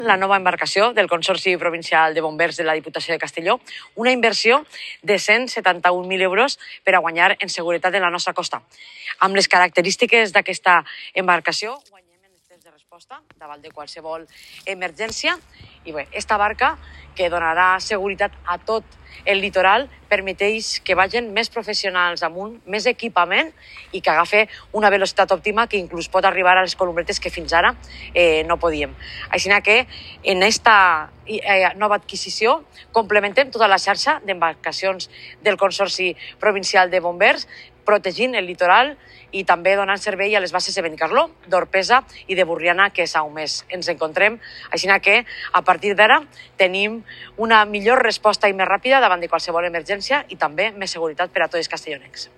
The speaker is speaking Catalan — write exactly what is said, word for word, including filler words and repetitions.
La nova embarcació del Consorci Provincial de Bombers de la Diputació de Castelló, una inversió de cent setanta-un mil euros per a guanyar en seguretat en la nostra costa. Amb les característiques d'aquesta embarcació, guanyem en els temps de resposta davant de qualsevol emergència. I bé, esta barca, que donarà seguretat a tot el litoral, permeteix que vagin més professionals amunt, més equipament i que agafi una velocitat òptima que inclús pot arribar a les columbretes que fins ara eh, no podíem. Així que en esta eh, nova adquisició complementem tota la xarxa d'embarcacions del Consorci Provincial de Bombers, protegint el litoral i també donant servei a les bases de Benicarló, d'Orpesa i de Burriana, que és a un mes. Ens encontrem, així que a partir d'ara tenim una millor resposta i més ràpida davant de qualsevol emergència i també més seguretat per a tots els castellonencs.